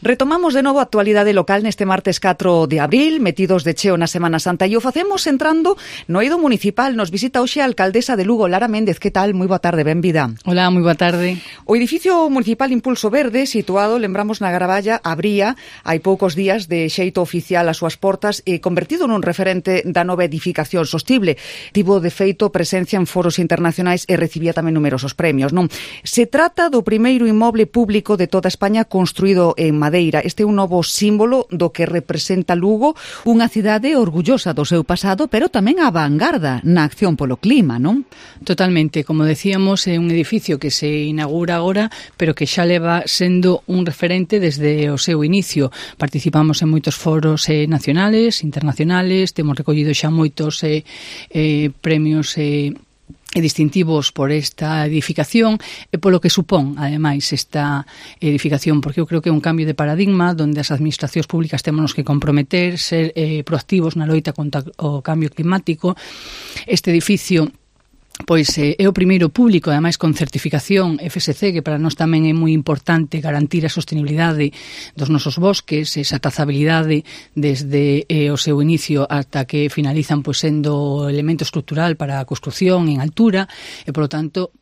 Retomamos de novo a actualidade local neste martes 4 de abril, metidos de cheo na Semana Santa, e o facemos entrando no eido municipal. Nos visita hoxe a alcaldesa de Lugo, Lara Méndez. Que tal? Moi boa tarde, benvida. Hola, moi boa tarde. O edificio municipal Impulso Verde, situado, lembramos, na Gravalla, abría hai poucos días de xeito oficial as súas portas e convertido nun referente da nova edificación sostible. Tivo, de feito, presencia en foros internacionais e recibía tamén numerosos premios, non? Se trata do primeiro inmoble público de toda España construído en madeira. Este é un novo símbolo do que representa Lugo, unha cidade orgullosa do seu pasado, pero tamén a vanguarda na acción polo clima, non? Totalmente, como decíamos, é un edificio que se inaugura agora, pero que xa leva sendo un referente desde o seu inicio. Participamos en moitos foros nacionales, internacionales, temos recollido xa moitos premios e distintivos por esta edificación e polo que supón, ademais, esta edificación, porque eu creo que é un cambio de paradigma onde as administracións públicas temos que comprometer, ser proactivos na loita contra o cambio climático. Este edificio pois é o primeiro público, ademais con certificación FSC, que para nós tamén é moi importante garantir a sostenibilidade dos nosos bosques, esa trazabilidade desde o seu inicio ata que finalizan pois sendo elemento estrutural para a construción en altura e, polo tanto,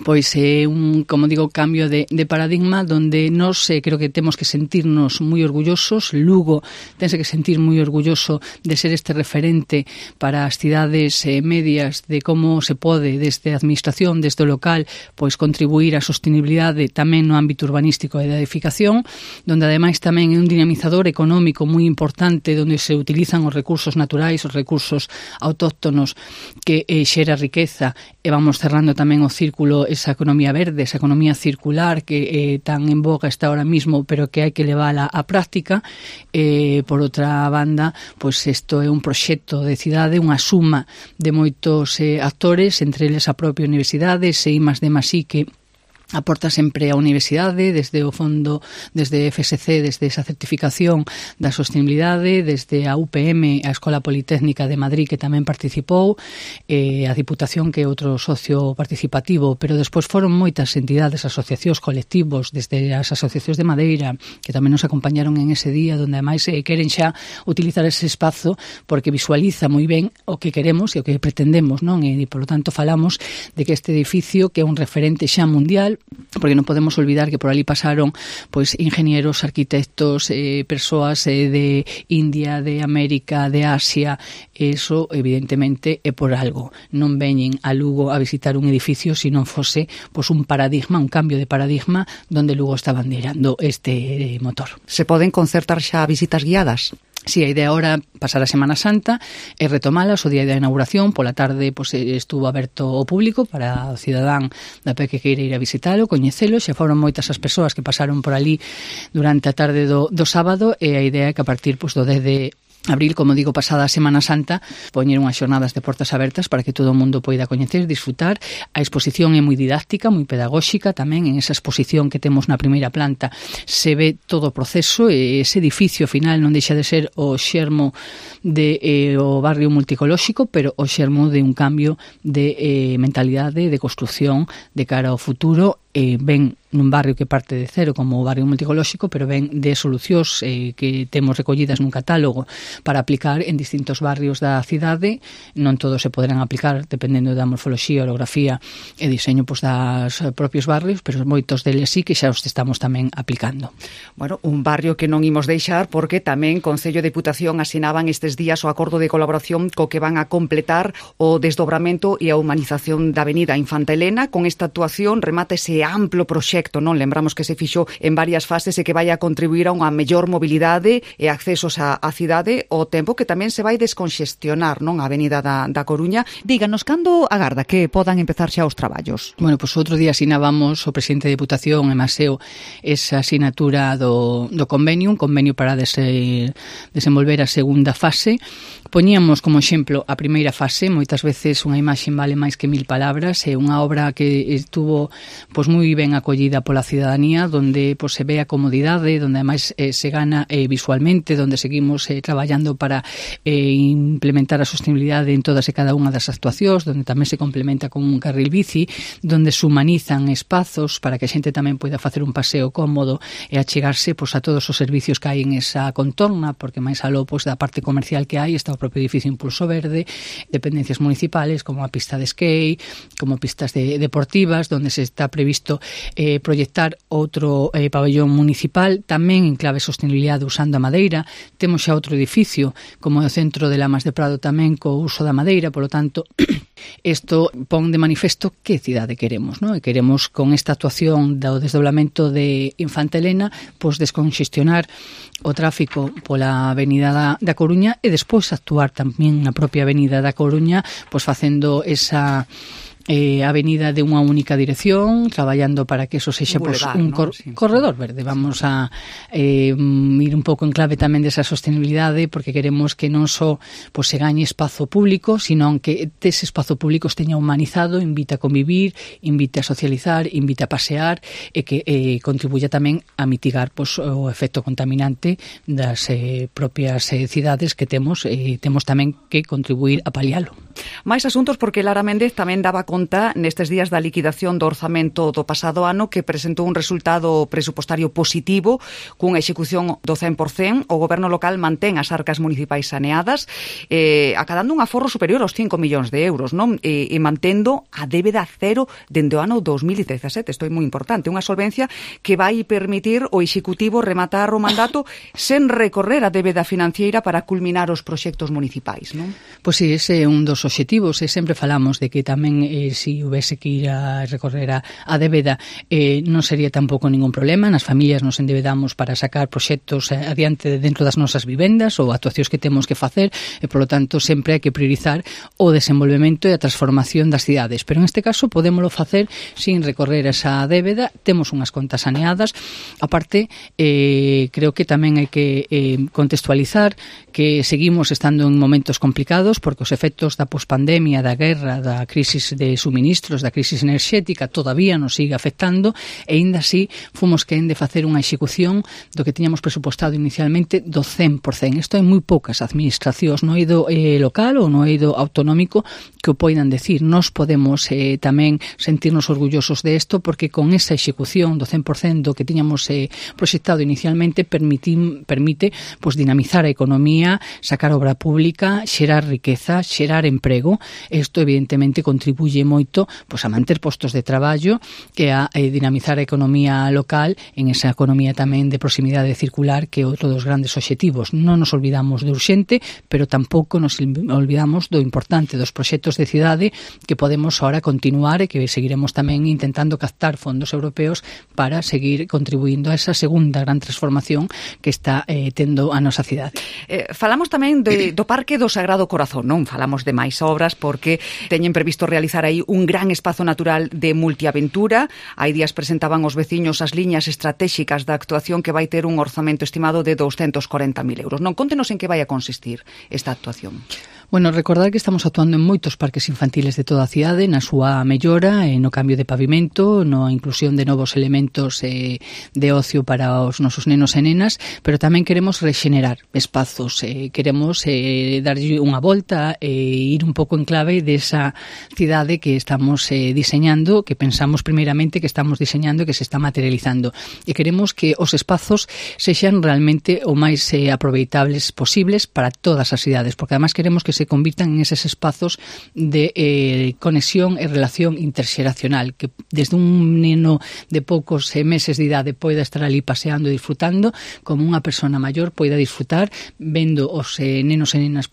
pois é un, como digo, cambio de paradigma onde nós creo que temos que sentirnos moi orgullosos. Lugo tense que sentir moi orgulloso de ser este referente para as cidades medias de como se pode desde a administración, desde o local, pois contribuir á sostenibilidade tamén no ámbito urbanístico e da edificación, onde ademais tamén é un dinamizador económico moi importante onde se utilizan os recursos naturais, os recursos autóctonos que xera riqueza, e vamos cerrando tamén o círculo esa economía verde, esa economía circular que tan en boga está ahora mismo, pero que hai que levala á práctica. Por outra banda, pois isto é un proxecto de cidade, unha suma de moitos actores, entre eles a propia universidade, I+D+I, que aporta sempre a universidade, desde o fondo, desde FSC, desde esa certificación da sostenibilidade, desde a UPM, a Escola Politécnica de Madrid, que tamén participou, a Diputación, que é outro socio participativo, pero despois foron moitas entidades, asociacións, colectivos, desde as asociacións de madeira, que tamén nos acompañaron en ese día, donde ademais queren xa utilizar ese espazo porque visualiza moi ben o que queremos e o que pretendemos, non? E, polo tanto, falamos de que este edificio, que é un referente xa mundial, porque non podemos olvidar que por ali pasaron pois ingenieros, arquitectos, persoas de India, de América, de Asia. Eso evidentemente é por algo. Non veñen a Lugo a visitar un edificio se non fose pois un paradigma, un cambio de paradigma donde Lugo está bandeirando este motor. Se poden concertar xa visitas guiadas? Si, a idea ahora pasar a Semana Santa e retomalas o día da inauguración. Pola tarde pois, estuvo aberto ao público para o cidadán da PE que queira ir a visitalo, coñecelo. Xa foron moitas as persoas que pasaron por ali durante a tarde do sábado, e a idea é que a partir pois, do 10 de abril, como digo, pasada a Semana Santa, poñer unhas xornadas de portas abertas para que todo o mundo poida coñecer, disfrutar. A exposición é moi didáctica, moi pedagóxica tamén. En esa exposición que temos na primeira planta se ve todo o proceso, e ese edificio final non deixa de ser o xermo de o barrio multicolóxico, pero o xermo de un cambio de mentalidade, de construción de cara ao futuro. Ben nun barrio que parte de cero como o barrio multicolóxico, pero ben de solucións que temos recollidas nun catálogo para aplicar en distintos barrios da cidade. Non todos se poderán aplicar dependendo da morfoloxía, orografía e diseño pois, das propios barrios, pero moitos deles sí que xa os estamos tamén aplicando. Bueno, un barrio que non imos deixar porque tamén Concello e Deputación asinaban estes días o acordo de colaboración co que van a completar o desdobramento e a humanización da avenida Infanta Elena. Con esta actuación remata ese amplo proxecto, non? Lembramos que se fixo en varias fases e que vai a contribuir a unha mellor mobilidade e accesos á cidade, ao tempo que tamén se vai desconxestionar, non? A avenida da Coruña. Díganos, cando agarda que podan empezar xa os traballos? Bueno, pois outro día asinábamos o presidente de Deputación e Maseo esa asinatura do convenio, un convenio para desenvolver a segunda fase. Poñíamos como exemplo a primeira fase. Moitas veces unha imaxe vale máis que 1000 palabras. É unha obra que estuvo pois moi ben acollida pola cidadanía, donde pues, se ve a comodidade, donde ademais se gana visualmente, donde seguimos traballando para implementar a sostenibilidade en todas e cada unha das actuacións, donde tamén se complementa con un carril bici, donde se humanizan espazos para que a xente tamén poida facer un paseo cómodo e achegarse pues, a todos os servicios que hai en esa contorna, porque máis aló pues, da parte comercial que hai está o propio edificio Impulso Verde, dependencias municipales como a pista de skate, como pistas deportivas, donde se está previsto proyectar outro pabellón municipal, tamén en clave sostenibilidade usando a madeira. Temos xa outro edificio, como o Centro de Lamas de Prado tamén co uso da madeira, polo tanto, isto pon de manifesto que cidade queremos, non? E queremos con esta actuación do desdoblamento de Infanta Elena, pois desconxestionar o tráfico pola avenida da Coruña e despois actuar tamén na propia avenida da Coruña, pois facendo esa avenida de unha única dirección, traballando para que eso sexa un corredor verde. Vamos a ir un pouco en clave tamén desa sostenibilidade, porque queremos que non só se gañe espazo público, sino que ese espazo público esteña humanizado, invita a convivir, invita a socializar, invita a pasear e que contribuya tamén a mitigar o efecto contaminante das propias cidades que temos tamén que contribuir a palialo. Mais asuntos, porque Lara Méndez tamén daba conta nestes días da liquidación do orzamento do pasado ano, que presentou un resultado presupostario positivo cunha execución do 100%. O goberno local mantén as arcas municipais saneadas, acadando un aforro superior aos 5 millóns de euros, non? E mantendo a débeda cero dende o ano 2017. Isto é moi importante, unha solvencia que vai permitir o executivo rematar o mandato sen recorrer a débeda financiera para culminar os proxectos municipais, non? Pois sí, ese é un dos obxectivos, e sempre falamos de que tamén se houvese que ir a recorrer a débeda non sería tampouco ningún problema. Nas familias nos endebedamos para sacar proxectos adiante dentro das nosas vivendas ou actuacións que temos que facer, e polo tanto sempre hai que priorizar o desenvolvemento e a transformación das cidades, pero en este caso podémolo facer sin recorrer esa débeda. Temos unhas contas saneadas. Aparte, creo que tamén hai que contextualizar que seguimos estando en momentos complicados, porque os efectos da pospandemia, da guerra, da crisis de suministros, da crisis enerxética todavía nos sigue afectando, e ainda así fomos quen de facer unha execución do que tiñamos presupuestado inicialmente do 100%. Isto hai moi poucas administracións no eido local ou no eido autonómico que o poidan decir. Nos podemos tamén sentirnos orgullosos de isto, porque con esa execución do 100% do que tiñamos proxectado inicialmente permite dinamizar a economía, sacar obra pública, xerar riqueza, xerar emprego. Isto evidentemente contribuye moito a manter postos de traballo e a dinamizar a economía local, en esa economía tamén de proximidade circular, que é outro dos grandes obxectivos. Non nos olvidamos do urxente, pero tampouco nos olvidamos do importante dos proxectos de cidade que podemos ahora continuar e que seguiremos tamén intentando captar fondos europeos para seguir contribuindo a esa segunda gran transformación que está tendo a nosa cidade. Falamos tamén do Parque do Sagrado Corazón, non falamos de máis obras, porque teñen previsto realizar aí un gran espazo natural de multiaventura. Hai días presentaban os veciños as liñas estratégicas da actuación, que vai ter un orzamento estimado de 240.000 euros. Non, contenos en que vai a consistir esta actuación. Bueno, recordar que estamos actuando en moitos parques infantiles de toda a cidade, na súa mellora, no cambio de pavimento, na inclusión de novos elementos de ocio para os nosos nenos e nenas, pero tamén queremos rexenerar espazos, queremos darlle unha volta e ir un pouco en clave desa cidade que estamos diseñando, que pensamos primeiramente que estamos diseñando e que se está materializando. E queremos que os espazos sexan realmente o máis aproveitables posibles para todas as cidades, porque además queremos que se convirtan en eses espazos de conexión e relación interxeracional, que desde un neno de poucos meses de idade poida estar ali paseando e disfrutando, como unha persona maior poida disfrutar vendo os nenos e nenas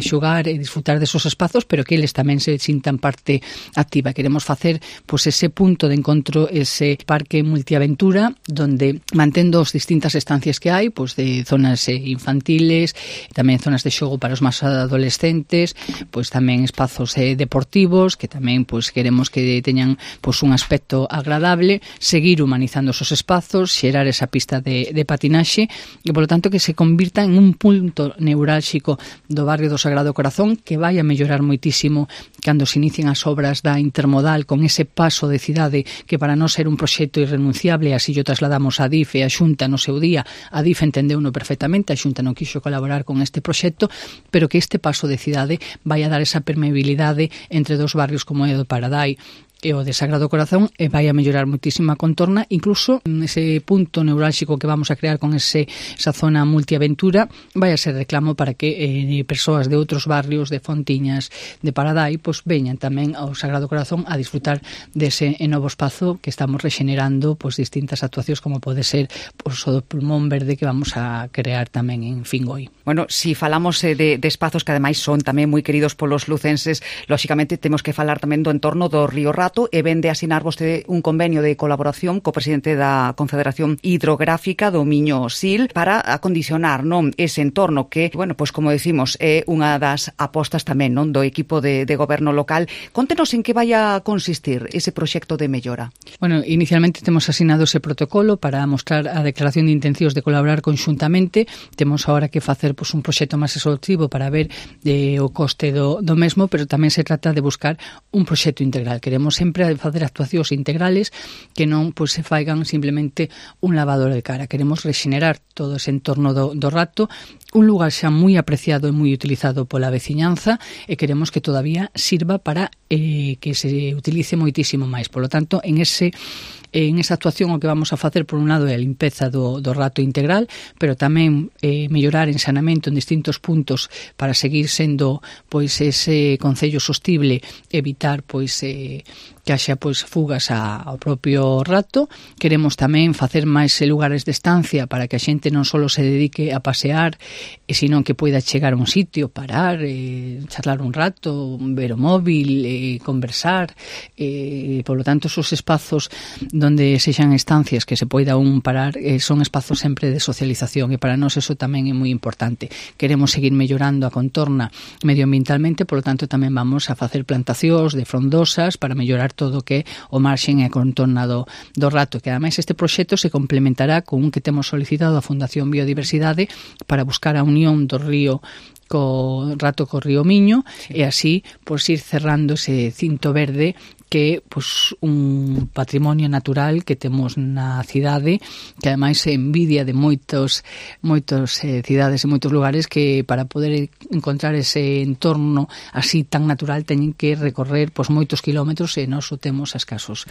xogar e disfrutar desos espazos, pero que eles tamén se sintan parte activa. Queremos facer ese punto de encontro, ese parque multiaventura, donde mantendo as distintas estancias que hai, de zonas infantiles, tamén zonas de xogo para os máis adolescentes, docentes, pois tamén espazos deportivos, que tamén pois queremos que teñan pois un aspecto agradable, seguir humanizando esos espazos, xerar esa pista de patinaxe e, polo tanto, que se convirta en un punto neurálxico do barrio do Sagrado Corazón, que vai a mellorar moitísimo cando se inicien as obras da intermodal, con ese paso de cidade que para non ser un proxecto irrenunciable, así o trasladamos a DIF e a Xunta no seu día. A DIF entendeuno perfectamente, a Xunta non quixo colaborar con este proxecto, pero que este paso de cidade vai a dar esa permeabilidade entre dos barrios como é o do Paradai e o de Sagrado Corazón, e vai a mellorar moitísimo a contorna, incluso ese punto neurálxico que vamos a crear con esa zona multiaventura vai a ser reclamo para que persoas de outros barrios, de Fontiñas, de Paradai, pois veñan tamén ao Sagrado Corazón a disfrutar dese novo espazo que estamos rexenerando, pois distintas actuacións como pode ser pois, o do pulmón verde que vamos a crear tamén en Fingoi. Bueno, si falamos de espazos que ademais son tamén moi queridos polos lucenses, lóxicamente temos que falar tamén do entorno do Río Rato, e vende a asinar vostede un convenio de colaboración co presidente da Confederación Hidrográfica do Miño Sil para acondicionar, non, ese entorno que, bueno, pois como decimos, é unha das apostas tamén, non, do equipo de goberno local. Contenos en que vai a consistir ese proxecto de mellora. Bueno, inicialmente temos asinado ese protocolo para mostrar a declaración de intencións de colaborar conxuntamente. Temos agora que facer pois, un proxecto máis exhaustivo para ver o coste do mesmo, pero tamén se trata de buscar un proxecto integral. Queremos sempre facer actuacións integrales que non pois, se faigan simplemente un lavador de cara. Queremos rexenerar todo ese entorno do Rato, un lugar xa moi apreciado e moi utilizado pola veciñanza, e queremos que todavía sirva para que se utilice moitísimo máis. Por lo tanto, en esa actuación o que vamos a facer por un lado é a limpeza do Rato integral, pero tamén mellorar en saneamento en distintos puntos para seguir sendo pois ese concello sostible, evitar pois que haxa pois fugas ao propio Rato. Queremos tamén facer máis lugares de estancia para que a xente non só se dedique a pasear, sino que poida chegar a un sitio, parar, charlar un rato, ver o móvil, conversar, por lo tanto esos espazos donde sexan estancias que se poida un parar, son espazos sempre de socialización, e para nós eso tamén é moi importante. Queremos seguir mellorando a contorna medioambientalmente, por lo tanto tamén vamos a facer plantacións de frondosas para mellorar todo o que é o marxen e a contorna do Rato, que ademais este proxecto se complementará con un que temos solicitado a Fundación Biodiversidade para buscar a unión do río co Rato co río Miño, e así pois ir cerrando ese cinto verde que é pois, un patrimonio natural que temos na cidade, que ademais se envidia de moitas cidades e moitos lugares que para poder encontrar ese entorno así tan natural teñen que recorrer pois, moitos kilómetros, e nós o temos a escasos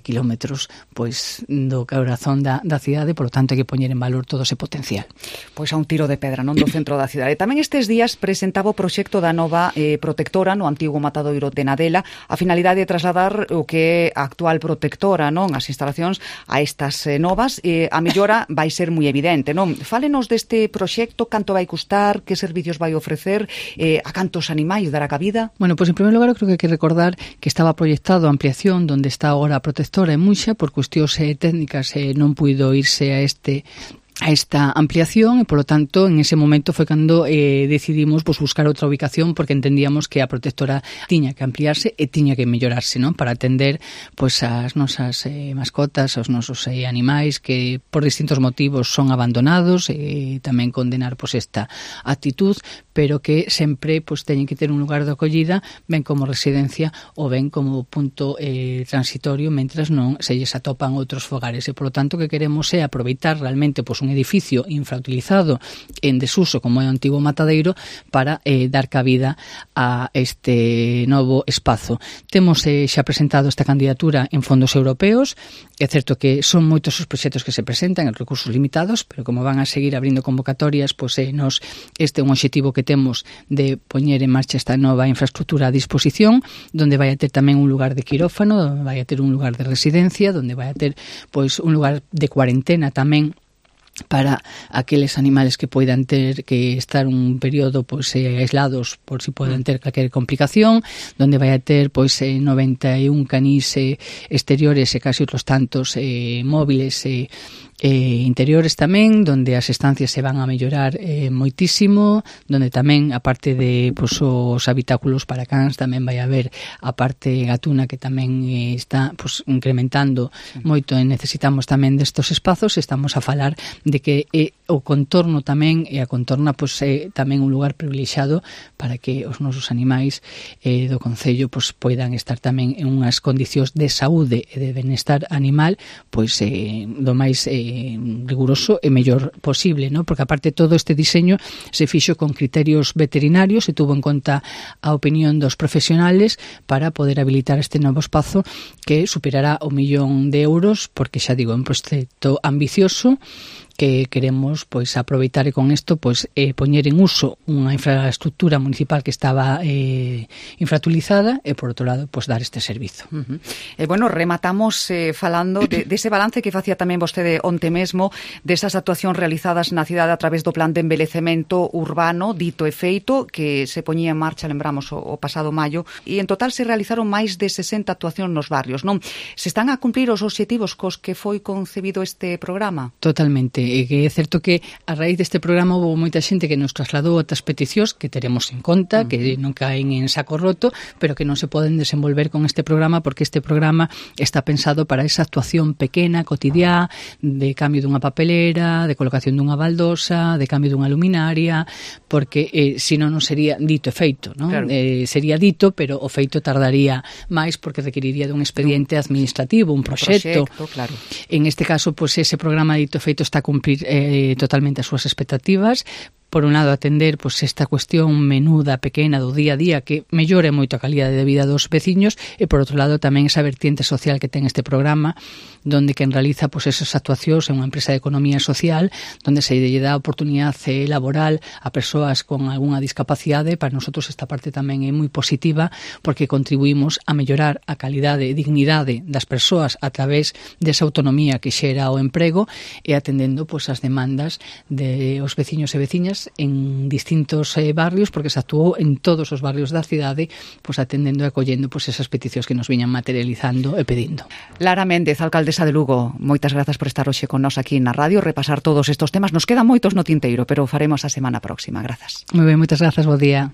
kilómetros pois, do corazón da cidade, por lo tanto hai que poñer en valor todo ese potencial. Pois a un tiro de pedra, non, do centro da cidade. Tamén estes días presentaba o proxecto da nova protectora no antigo matadoiro de Nadela, a finalidade de trasladar o que é a actual protectora, non, as instalacións a estas novas. A mellora vai ser moi evidente, non? Fálenos deste proxecto, canto vai custar, que servicios vai ofrecer, a cantos animais dará cabida? Bueno, pois en primeiro lugar, creo que hai que recordar que estaba proyectado a ampliación donde está agora a protectora en Muxa, por cuestións técnicas non puido irse a esta ampliación, e polo tanto en ese momento foi cando decidimos pois, buscar outra ubicación, porque entendíamos que a protectora tiña que ampliarse e tiña que mellorarse, non, para atender pois as nosas mascotas, os nosos animais que por distintos motivos son abandonados, e tamén condenar pois esta actitud, pero que sempre pois teñen que ter un lugar de acollida, ben como residencia ou ben como punto transitorio mentras non se lles atopan outros fogares, e polo tanto que queremos é aproveitar realmente pois un edificio infrautilizado en desuso como é o antigo matadeiro para dar cabida a este novo espazo. Temos xa presentado esta candidatura en fondos europeos. É certo que son moitos os proxectos que se presentan en recursos limitados, pero como van a seguir abrindo convocatorias, pois este é un obxectivo que temos de poñer en marcha esta nova infraestructura a disposición, donde vai a ter tamén un lugar de quirófano, donde vai a ter un lugar de residencia, donde vai a ter pois un lugar de cuarentena tamén para aqueles animales que poidan ter que estar un período pois aislados por si poden ter calquer complicación, donde vai a ter pois 91 canís exteriores e casi outros tantos móviles interiores tamén, donde as estancias se van a mellorar moitísimo, donde tamén, aparte de pues, os habitáculos para cans, tamén vai haber a parte gatuna que tamén está pues, incrementando moito, e necesitamos tamén destos espazos. Estamos a falar de que o contorno tamén, e a contorna pues, tamén un lugar privilexiado para que os nosos animais do Concello pues, poidan estar tamén en unhas condicións de saúde e de benestar animal pois do máis riguroso e mellor posible, ¿no? Porque aparte todo este diseño se fixo con criterios veterinarios, se tuvo en conta a opinión dos profesionales para poder habilitar este novo espazo que superará o 1.000.000 de euros, porque xa digo, é un proxecto ambicioso que queremos pois aproveitar e con isto pois poñer en uso unha infraestructura municipal que estaba infrautilizada e por outro lado pois dar este servizo. Bueno, rematamos falando de ese balance que facía tamén vostede onte mesmo desas actuacións realizadas na cidade a través do plan de envelecemento urbano dito e feito que se poñía en marcha, lembramos, o pasado maio, e en total se realizaron máis de 60 actuacións nos barrios, non? Se están a cumprir os obxectivos cos que foi concebido este programa? Totalmente. E que é certo que a raíz deste programa houve moita xente que nos trasladou outras peticións que teremos en conta, que non caen en saco roto, pero que non se poden desenvolver con este programa porque este programa está pensado para esa actuación pequena, cotidiá, de cambio dunha papelera, de colocación dunha baldosa, de cambio dunha luminaria, porque senón non sería dito e feito, non? Claro. Sería dito, pero o feito tardaría máis porque requeriría dun expediente administrativo, un proxecto. Claro. En este caso, pues ese programa dito e feito está cumplir totalmente as súas expectativas. Por un lado, atender pues, esta cuestión menuda, pequena do día a día que mellore moito a calidade de vida dos veciños e, por outro lado, tamén esa vertiente social que ten este programa donde quen realiza pues, esas actuacións é unha empresa de economía social donde se lle dá oportunidade laboral a persoas con algunha discapacidade. Para nosotros esta parte tamén é moi positiva porque contribuímos a mellorar a calidade e dignidade das persoas a través desa autonomía que xera o emprego e atendendo pues, as demandas de os veciños e veciñas en distintos barrios, porque se actuou en todos os barrios da cidade, pues atendendo e acollendo pues esas peticións que nos viñan materializando e pedindo. Lara Méndez, alcaldesa de Lugo, moitas grazas por estar hoxe con nós aquí na radio, repasar todos estos temas. Nos quedan moitos no tinteiro, pero o faremos a semana próxima. Grazas. Moi ben, moitas grazas, bo día.